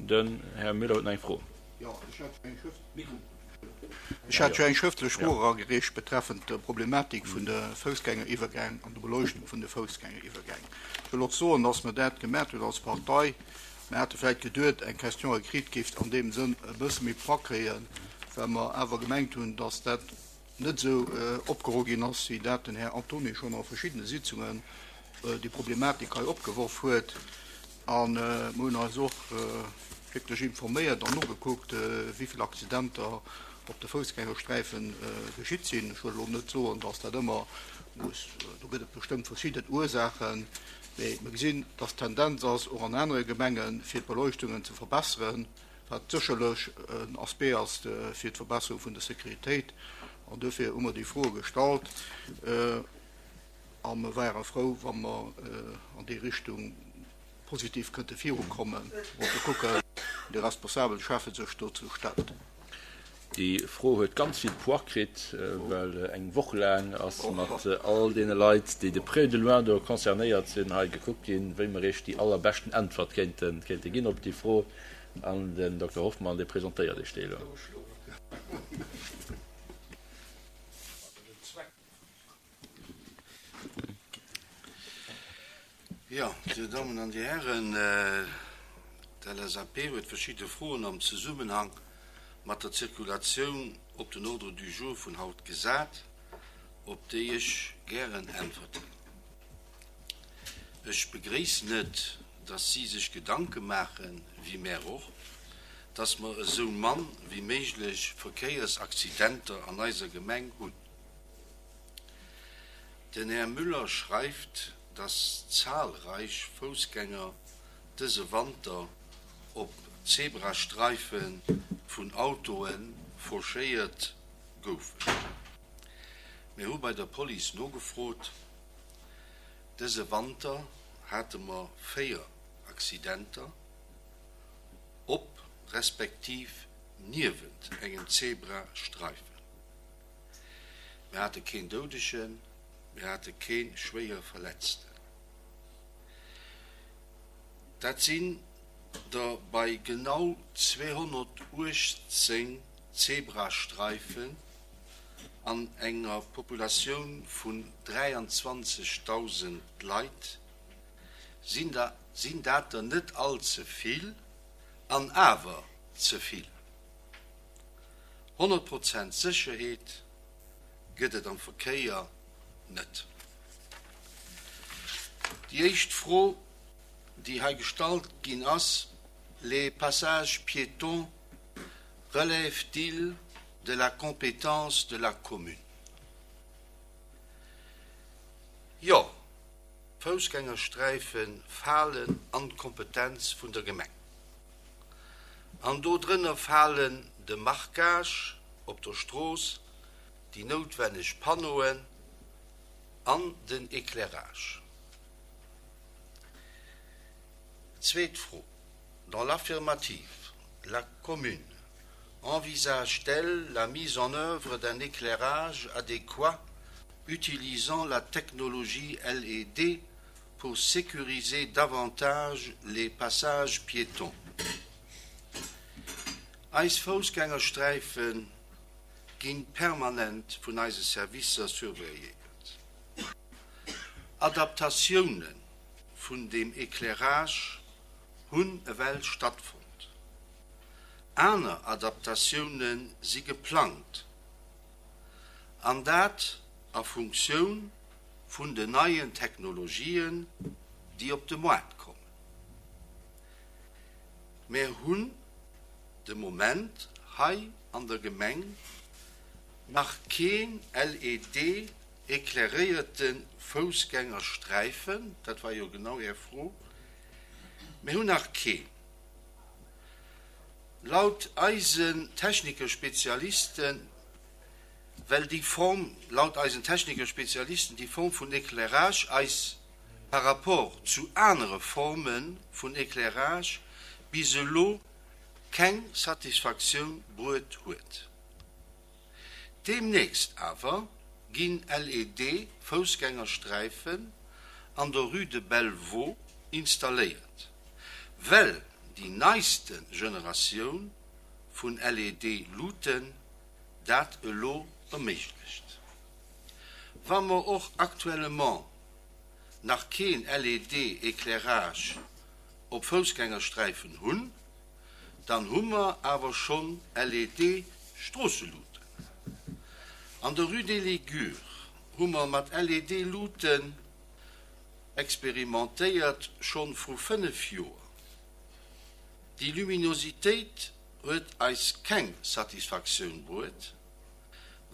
Den Här Müller huet nach eng Fro. Ech hat jo eng schrëftlech Fro eragereecht betreffend der Problematik vun de Foussgängeriwwergäng an der Beleuchtung vun de Foussgängeriwwergäng. Ech wëll och soen, dass mer dat gemat hunn als Partei. Mer hate vläicht geduet, eng Question écrite géif an deem Sënn e bësse méi Poids kréien, well mer awer gemengt hunn, dass dat net esou opgeholl ginn ass, wéi dat den Här Antony schonn a verschiddene Sitzungen déi Problematik hei opgeworf huet. A mer hunn eis och wierklech informéiert an nogekuckt, wéi vill Accidenter op de Foussgängersträife geschitt sinn. Ech wëll elo net soen, dass dat ëmmer muss, do gëtt et bestëmmt verschidden Ursaachen, mee mer gesinn, dass d'Tendenz ass, och an anere Gemengen, fir d'Beleuchtungen ze verbesseren, wat sécherlech en Aspect ass fir d'Verbesserung vun der Sécuritéit. An duerfir hu mer déi Froe gestallt a mer wäere frou, wa mer an déi Richtung positiv kënnte virukommen. Wollte kucken, wéi de responsabele Schäffe sech dozou stellt. Déi Fro huet ganz vill Poids kritt, well eng Woch laang ass mat all deene Leit, déi de près ou de loin do concernéiert sinn, hei gekuckt ginn, wéi mer Iech déi allerbeschten Äntwert kéinte ginn op déi Fro. An den Dokter Hoffmann, dee presentéiert Iech déi elo. Jo, Dir Dammen an Dir Hären, d'LSAP huet verschidde Froen am Zesummenhang mat der Zirkulatioun op den Ordre du jour vun haut gesat, op déi ech gären äntwerten. Ech begréissen et, dass si sech Gedanke maachen, wéi mär och, dass mer esou mann wéi méiglech Verkéiersaccidenter an eiser Gemeng hunn. Den Här Müller schreift, dass zahlreich Foussgänger dëse Wanter op Zebrastreife vun Autoe fauchéiert goufen. Mir hu bei der Police nogefrot. Dëse Wanter hate mer 4 Accidenter op respektiv niewent engem Zebrastreifen. Mir hate keen Doudegen, mir hate kee schwéier Verletzten. Dat sinn der bei genau 218 Zebrastreifen an enger Populatioun vun 23.000 Leit sinn dat der net all ze vill an awer ze vill. 100 Prozent Sécherheet gëtt et am Verkéier net. Déi éischt Fro, déi hei gestallt ginn ass, Les passages piétons relèvent-ils de la compétence de la commune? Jo, d'Foussgängersträife falen an d'Kompetenz vun der Gemeng. An do drënner falen de Marquage op der Strooss, déi noutwenneg Panneauen an den Éclairage. Zweet Fro, Dans l'affirmative, la commune envisage-t-elle la mise en œuvre d'un éclairage adéquat utilisant la technologie LED pour sécuriser davantage les passages piétons. Eis Foussgängersträife gi permanent vun eise Servicer surveilléiert. Adaptatioune vun deem Éclairage hunn ewell stattfonnt. Aner Adaptatioune si geplangt, an dat a Funktioun vun den neien Technologien, déi op de Moart kommen. Mär hunn de Moment hei an der Gemeng nach keen LED éclairéierte Foussgängersträifen, dat war jo genau Är Fro, mir hunn nach keen. Laut eisen Technikerspezialisten, well déi Form, laut eisen Technikerspezialisten, déi Form vun Éclairage eis par rapport zu anere Forme vun Éclairage bis elo keng Satisfaktioun bruet huet. Deemnächst awer ginn LED-Foussgängersträifen an der Rue de Bellevaux installéiert, well. déi neiste Generatioun vun LED-Luuten dat elo erméiglecht. Wa mer och actuellement nach keen LED-Éclairage op Foussgängersträifen hunn, dann hu mer awer schonn LED-Stroosseluuten. An der Rue des Ligures hu mer mat LED-Luuten experimentéiert, schonn vru 5 Joer. Déi Luminositéit huet eis keng Satisfaktioun bruet,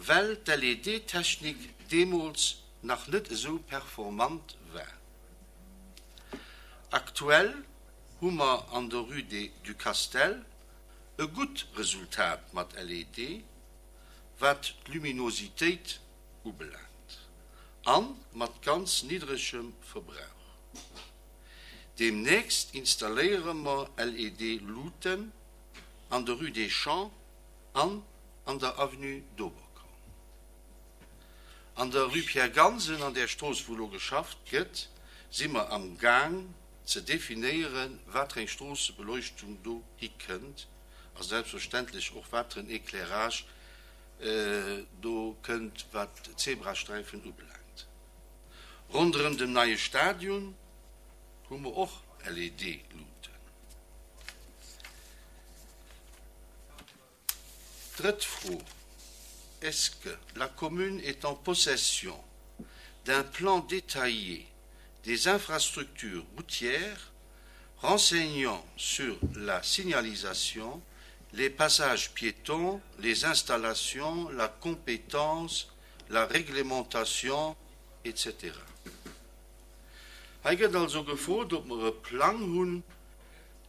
well d'LED-Technik deemools nach net esou performant war. Aktuell hu mer an der Rue des du Castel e gutt Resultat mat LED, wat d'Luminositéit ubelaangt, a mat ganz niddregem Verbrauch. Deemnächst installéiere mer LED-Luuten an der Rue des Champs an an der Avenue d'Oberkorn. An der Rue Pierre Gansen, an där Strooss wou elo geschafft gëtt, si mer am Gaang ze definéieren, wat fir eng Stroossebeleuchtung do hikënnt a selbstverständlech och wat fir en Éclairage do kënnt, wat d'Zebrasträifen ubelaangt. Ronderëm dem neie Stadion hu mer och LED-Luuten. Drëtt Fro, Est-ce que la commune est en possession d'un plan détaillé des infrastructures routières renseignant sur la signalisation, les passages piétons, les installations, la compétence, la réglementation, etc. Hei gëtt also gefrot, ob mer e Plang hunn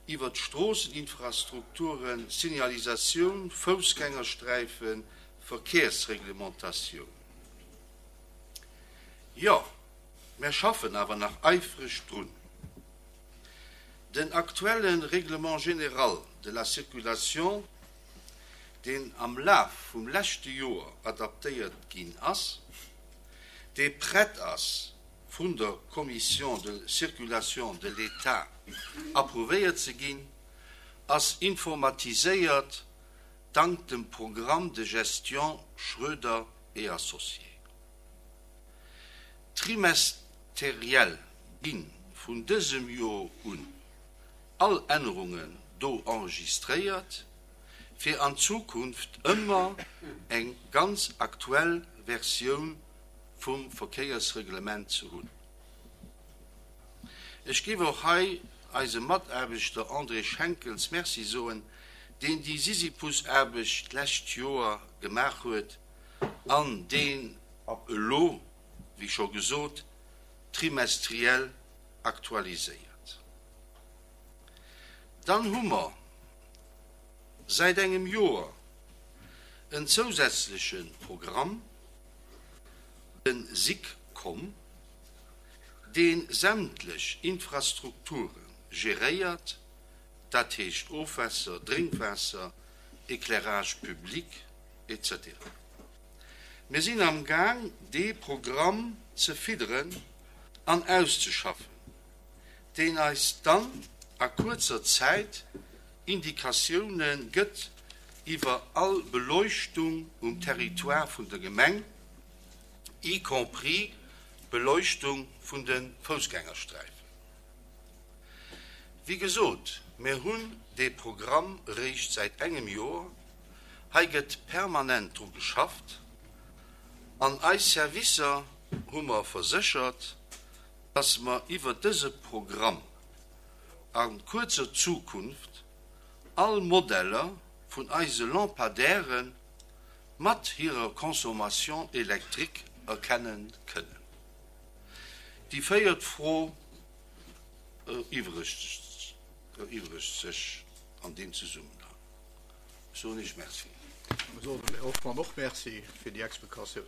iwwert d'Stroosseninfrastrukturen, Signalisatioun, Foussgängersträifen, Verkéiersreglementatioun. Jo, mär schaffen awer nach eifreg drun. Den aktuelle Règlement général de la circulation, deen am Laf vum leschte Joer adaptéiert ginn ass, dee prett ass vun der Commission de circulation de l'État approuvéiert ze ginn, ass informatiséiert dank dem Programme de gestion Schroeder et Associés. Trimesteriell gi vun dësem Joer un all Ännerungen do enregistréiert, fir an Zukunft ëmmer eng ganz aktuell Versioun vum Verkéiersreglement ze hunn. Ech géif och hei eisem Mataarbechter André Schenkels Merci soen, deen déi Sisyphusaarbecht d'lescht Joer gemaach huet an deen ab elo, wéi scho gesot, trimestriell aktualiséiert. Dann hu mer säit engem Joer en zousätzleche Programm, de SIGCOM, dee sämtlech Infrastrukture geréiert, dat heescht Ofwässer, Drénkwaasser, Éclairage public, etc. Mir sinn am Gaang, dee Programm ze fidderen an auszeschaffen, deen eis dann a kuerzer Zäit Indikatioune gëtt iwwer all Beleuchtung um Territoire vun der Gemeng, y compris d'Beleuchtung vun de Foussgängersträifen. Wéi gesot, mir hunn dee Programm eréischt säit engem Joer. Hei gëtt permanent dru geschafft an eis Servicer hu mer verséchert, dass mer iwwer dëse Programm a kuerzer Zukunft all Modeller vun eise Lampadaire mat hirer Consommation électrique erkenne kënnen. Déi véiert Fro eriwwregt sech an deem Zesummenhang. Ech soen Iech Merci. Ech soen dem Här Hoffmann och Merci fir déi Explikatioun.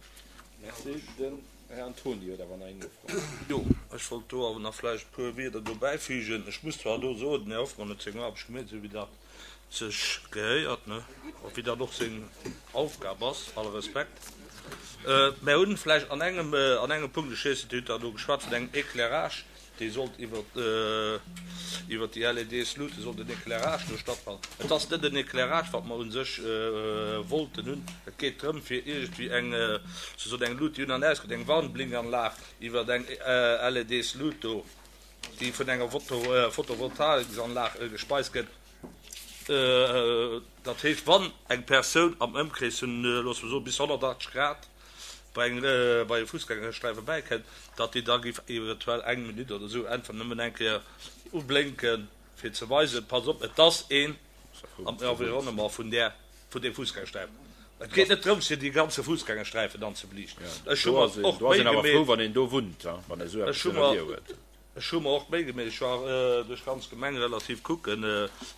Merci. Den Här Antoni huet awer nach eng Nofro. Jo, ech wollt do awer nach vläicht e puer Wierder dobäi fügen. Ech muss zwar do soen, den Här Hoffmann huet seng Aarbecht gemeet, esou wéi dat sech gehéiert, ne, a wéi dat och seng Aufgab ass, alle Respekt. Mär hunn vläicht an engem, an engem Punkt, ech weess net, Dir hutt da do geschwat vun engem Éclairage. Dee sollt iwwer iwwer déi LEDs Luute sollt en Éclairage do stattfannen. Et ass net en Éclairage, wat mer u sech wollten hunn. Et geet drëm, fir iergendwéi eng, sousoen eng Lut, déi un an aus geet, eng Warnblinkanlag iwwer eng LEDs Lut do, déi vun enger Photovoltaiksanlag gespeist gëtt. Dat heescht, wann eng Persoun am Ëmkrees vun, loosse mer soen, bis 180 Grad bei eng, bei e Fussgängersträife bäikënnt, datt déi da géif eventuell eng Minutt oder esou einfach nëmmen eng Kéier ublénken, fir ze weisen, Pass op, et ass een am Environnement vun där, vun deem Fussgängersträifen. Et geet net drëms, fir déi ganze Fussgängersträifen dann ze beliichten. Ech hu mer och d'Méi gemeet. Wann een do wunnt, wann ee sou eppes ënner huet. Ech hu mer och d'Méi gemeet, ech war duerch d'ganz Gemeng relativ kucken,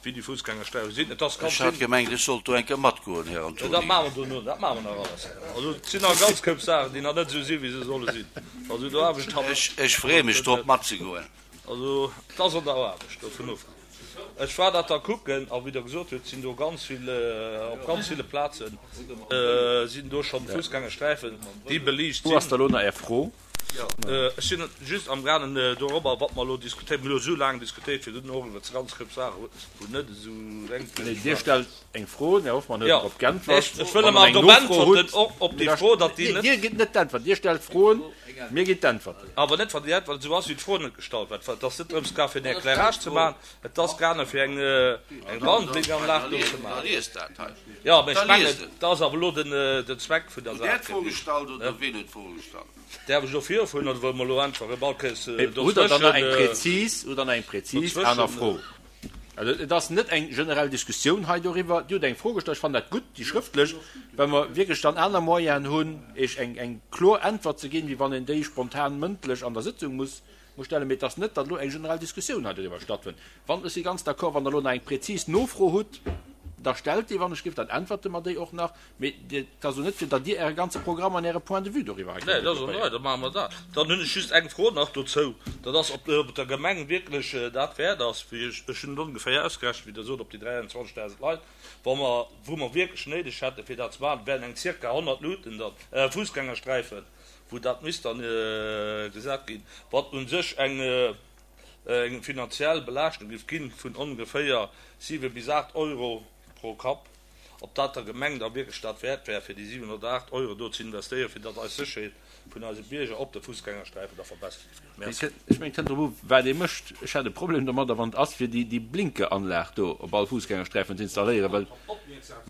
wéi déi Fussgängersträife sinn. Et ass ganz Ech hat gemengt, ech sollt do eng Kéier matgoen, Här Antony. Dat maache mer dono, dat maache mer nach alles. Also et sinn nach e ganz Koup Saachen, déi nach net esou sinn, wéi se solle sinn. Also do Aarbecht hat. Ech freeë mech drop, matzegoen. Also et ass an der Aarbecht, dovun of. Ech war dat da kucken, a wéi Der gesot hutt, sinn do ganz vill, op ganz ville Plaze sinn do schonn Fussgängersträifen, déi beliicht sinn. Wou ass da elo nach Är Fro? Ech sinn just amgaangen dorobber, wat mer elo diskutéieren. Mir hu elo esou laang diskutéiert virdrun och iwwert ganz Koup Saachen, wou net esou enk Nee, Dir stellt eng Fro, den Här Hoffmann huet dorop geäntwert. Ech wëll emol dorop äntwerten, och op déi Fro, datt déi net. Dir gitt net d'Äntwert, Dir stellt Froen, mir ginn d'Äntwerten. Awer net, wann déi Äntwert esou ass, wéi d'Fro net gestallt war. Et ass net drëms gaangen, fir en Éclairage ze maachen, et ass gaangen, fir eng Warnblinkanlag do ze maachen. Da liest dat hei. Jo, mä ech mengen, dat ass awer elo den Zweck vun der Saach. Hutt Där d'Fro gestallt oder wien huet d'Fro gestallt? Däerf ech elo virfueren oder wëlle mer elo einfach erëm all Kéiers Hutt Der dann nach eng prezis, hutt Der nach eng prezis aner Fro? Also et ass net eng generell Diskussioun hei doriwwer. Dir hutt eng Fro gestallt, ech fannen dat gutt, déi schrëftlech, well mer wierklech dann aner Moyenen hunn, Iech eng, eng kloer Äntwert ze ginn, wéi wann een déi spontan mëndlech an der Sëtzung muss muss stellen. Mee et ass net, datt elo eng generell Diskussioun hei doriwwer stattfënnt. Wann, ech si ganz d'accord, wann Der elo nach eng prezis Nofro hutt, da stellt déi, wann ech géif, dann äntwerte mer déi och nach. Mee et ass elo net, fir datt Dir Äre ganze Programm an Äre Point de vue doriwwer hei kënnt Nee, dat ass an der Rei, da maache mer dat. Dann hunn ech just eng Fro nach dozou, dat ass, ob et der Gemeng wierklech dat wäert ass, wéi ech, ech hunn et ongeféier ausgerechent, wéi Der sot, op déi 23.000 Leit, wa mer, wou mer wierklech néideg hätten, fir dat ze maachen, wären eng zirka 100 Luuten dann, Fussgängersträifen, wou dat misst dann gesat ginn, wat u sech eng eng finanziell Belaaschtung géif ginn vun ongeféier 7 bis 8 Euro pro Kapp, ob dat der Gemeng da wierklech dat wäert wär, fir déi 7 oder 8 Euro do ze investéieren, fir datt eis Sécherheet vun eise Bierger op de Fussgängersträifen da verbessert géif ginn. Merci. Ech mengen, et kënnt drop u wat ee mécht. Ech hätt e Problem domadder, wann et ass, fir déi Blinkeranlag do op all Fussgängersträifen ze installéieren, well,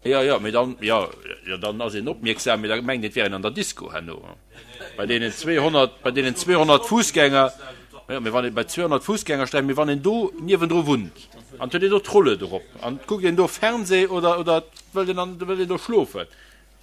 jo, jo, mee dann, jo, jo, dann ass een opmierksam, mee da mengt een, et wär een an der Disco herno. Bei deenen 200, bei deenen 200 Fussgänger, jo, mee wann ee bei 200 Fussgängersträifen, mee wann een do niewendru wunnt an et huet een do d'Rollued erop an et kuckt een do Fernseh oder, oder et wëllt een an, wëllt een do schlofen,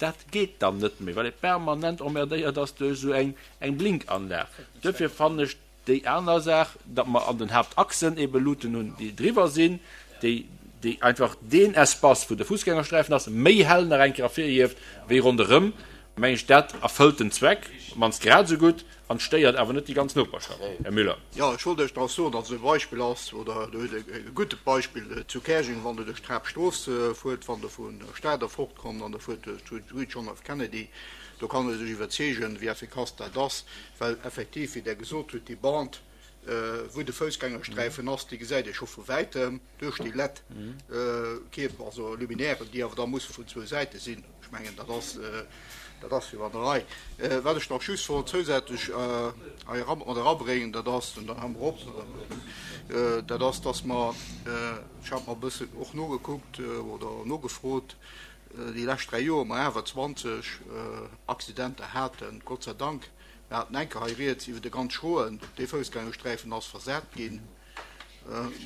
dat geet dann net méi, well ee permanent emmerdéiert ass duerch esou eng, eng Blinkanlag. Duerfir fannen ech Déi aner Saach, datt mer an den Haaptachsen ebe Luuten hunn, déi driwwer sinn, déi, déi einfach deen Espace, wou de Fussgängersträifen ass, méi hell nach eng Kéier ervirhieft wéi ronderëm, meng ech, dat erfëllt den Zweck op d'mannst grad esou gutt an stéiert awer net déi ganz Noperschaft. Här Müller. Jo, ech wollt Iech nach soen, datt et e Beispill ass, oder do huet e gudde Beispill zu Käerjeng, wann Der duerch d'Haaptstrooss fuert, wann Der vun der Stad erfortkommt an Der fuert duerch d'Rue John F. Kennedy, do kann ee sech iwwerzeegen, wéi effikass dat ass. Well effektiv, wéi Der gesot hutt, déi Bande, wou de Foussgängersträifen ass, déi gesäit ee scho vu wäitem duerch déi LED-Kierper, also Luminairen, déi awer da musse vun zwou Säite sinn. Ech mengen, dat ass, dat ass jo an der Rei. Wat ech nach just wollt zousätzlech hei mat erabréngen, dat ass, an dann hu mer op, dat ass, dass mer, ech hat mer e bëssen och nogekuckt oder nogefrot, déi lescht 3 Joer mer awer 20 Accidenter haten, Gott sei Dank. Mir haten eng Kéier hei rieds iwwer de ganz schroen, dee Foussgängersträifen ass versat ginn,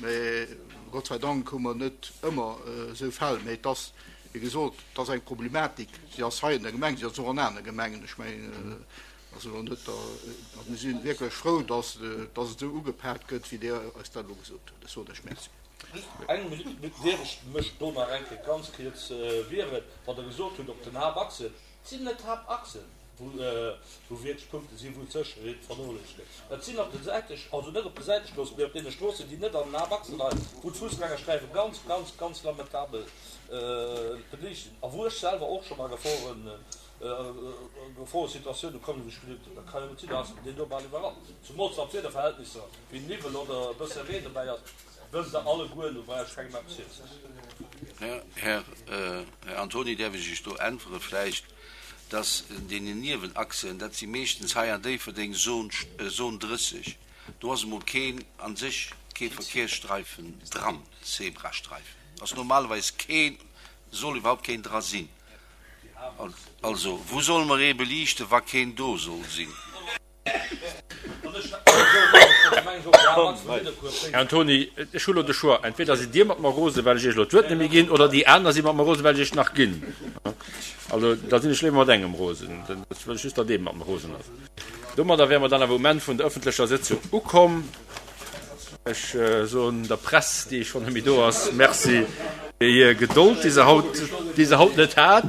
mä Gott sei Dank hu mer net ëmmer esou Fäll. Mä et ass, wéi gesot, et ass eng Problematik, si ass hei an der Gemeng, si ass och an anere Gemengen. Ech mengen, ass elo net der, a mir si wierklech frou, dass et esou ugepaakt gëtt, wéi Dir eis dat elo gesot hutt. Ech soen lech Merci. Just eng Minutt, dierf ech mech do nach eng Kéier ganz kuerz wieren, wat Der gesot hutt op den Haaptachsen. Et sinn net d'Haaptachsen, wou wierklech Punkte sinn, wou d'Sécherheet vernoléissegt gëtt. Et sinn op de Säite, also net op de Säitestroossen, mee op deene Stroossen, déi net an den Haaptachse leien, wou d'Fussgängersträife ganz, ganz, ganz lamentabel beliicht sinn a wou ech selwer och schonn a Geforen. Geforesituatioune kommen, wou ech geduet hunn, dat kann jo net sinn, da ass deen do bal iwwerrannt. Zumools wann d'Wiederverhältnisser wéi Niwwel oder e bësse Reen dobäi ass, wësst Der alleguer, do brauch ech kengem eppes virzesoen. Här Antoni, däerf ech Iech do äntwere vläicht, dass deenen Niewenachsen, dat si meeschtens hei an Déifferdeng Zone 30, do ass emol keen, a sech kee Verkehrsstreifen dran, Zebrastreifen ass normalerweis keen, soll iwwerhaupt keen dra sinn. Also, wou solle mer ee beliichten, wa keen do soll sinn? Här Antoni, ech hu lo de Choix, entweder sidd Dir mat mer rosen, well ech Iech elo d'Wuert net méi ginn, oder déi aner si mat mer rosen, well ech Iech nach ginn. Also, da sinn ech léiwer mat engem rosen. Dat wëll ech just, datt ee mat mer rosen ass. Domadder wäre mer dann awer um Enn vun der ëffentlecher Sëtzung ukomm. Ech soen der Press, déi schonn net méi do ass, Merci fir hir Gedold, déi se haut, déi se haut net hat.